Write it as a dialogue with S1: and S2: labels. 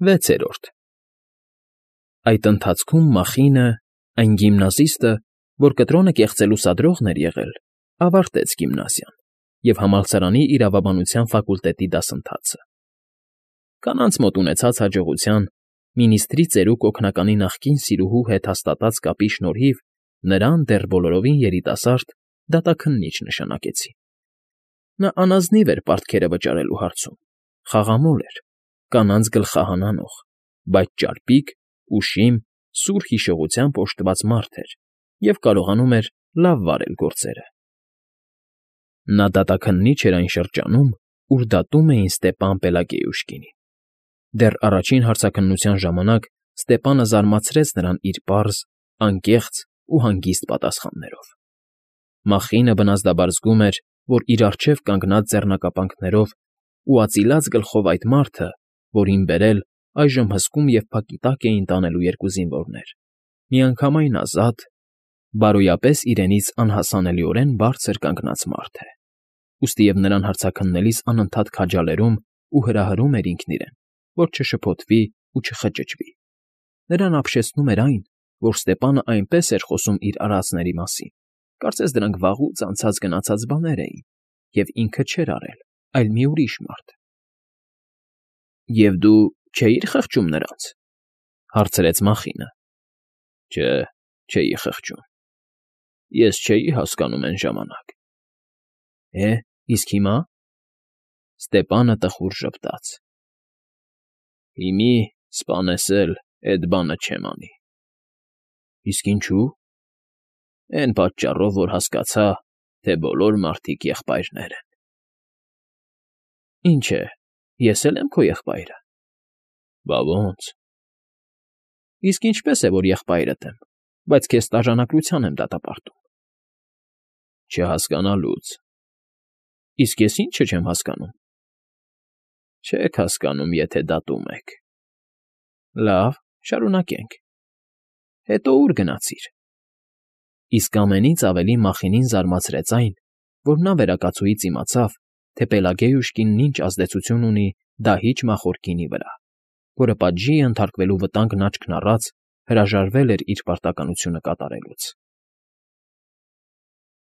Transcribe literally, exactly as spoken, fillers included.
S1: Վեցերորդ Այդ ընթացքում Մախինը, այն գիմնազիստը, որ կտրոնը կեղծելու սադրողն էր եղել, ավարտեց գիմնազիան և համալսարանի իրավաբանության ֆակուլտետի դասընթացը. կանանց մոտ ունեցած հաջողության, մինիստրի ծերուկ օգնականի նախկին սիրուհու հետ հաստատած կապի շնորհիվ նրան դեռ բոլորովին երիտասարդ դատաքննիչ նշանակեցին. նա անազնիվ էր պարտքերը վճարելու հարցում, խաղամոլ էր, կանանց գլխահանանող, բայց ճարպիկ, ուշիմ, սուր հիշողությամբ օժտված մարդ էր և կարողանում էր լավ վարել գործերը։ Նա դատաքննիչ էր այն շրջանում, ուր դատում էին Ստեպան Պելագեյուշկինին։ Դեռ առաջին հարցաքննության ժամանակ Ստեպանը զարմացրեց նրան իր պարզ, անկեղծ ու հանգիստ պատասխաններով։ Մախինը բնազդաբար զգում էր, որ իր առջև կանգնած ձեռնարկապանքներով ու ածիլած գլխով այդ մարդը, որին բերել, այժմ հսկում և փակի տակ էին տանելու երկու զինվորներ, միանգամայն ազատ, բարոյապես իրենից անհասանելիորեն բարձր կանգնած մարդ է, ուստիև նրան հարցաքննելիս անընդհատ քաջալերում ու հրահրում էր ինքն իրեն, որ չշփոթվի ու չխճճվի։ Նրան ապշեցնում էր այն, որ Ստեպանը այնպես էր խոսում իր արածների մասին, կարծես դրանք վաղուց անցած֊գնացած բաներ էին, և ինքը չէր արել, այլ մի ուրիշ մարդ։ ֊ Եվ դու չէի՞ր խղճում նրանց,֊ հարցրեց Մախինը։ ֊ Չէ, չէի խղճում։ Ես չէի հասկանում էն ժամանակ։ ֊ Է՞, իսկ հիմա…֊ Ստեպանը տխուր ժպտաց։ ֊ Հիմի, սպանես էլ, էդ բանը չեմ անի։ ֊ Իսկ ինչու՞։ ֊ Էն պատճառով, որ հասկացա, թե բոլոր մարդիկ եղբայրներ են։ ֊ Ինչ է, ես է՞լ եմ քո եղբայրը։ ֊ Բա ո՜նց։ ֊ Իսկ ինչպե՞ս է, որ եղբայրդ եմ, բայց քեզ տաժանակրության եմ դատապարտում։ ֊ Չհասկանալուց։ ֊ Իսկ ես ի՞նչը չեմ հասկանում։ ֊ Չեք հասկանում, եթե դատում եք։ ֊ Լավ, շարունակենք։ Հետո ո՞ւր գնացիր։ Իսկ ամենից ավելի Մախինին զարմացրեց այն, որ նա վերակացուից իմացավ, թե Պելագեյուշկինն ինչ ազդեցություն ունի դահիճ մախոր գինի վրա, որը պատժի է ենթարկվելու վտանգն աչքն առած հրաժարվել էր իր պարտականությունը կատարելուց։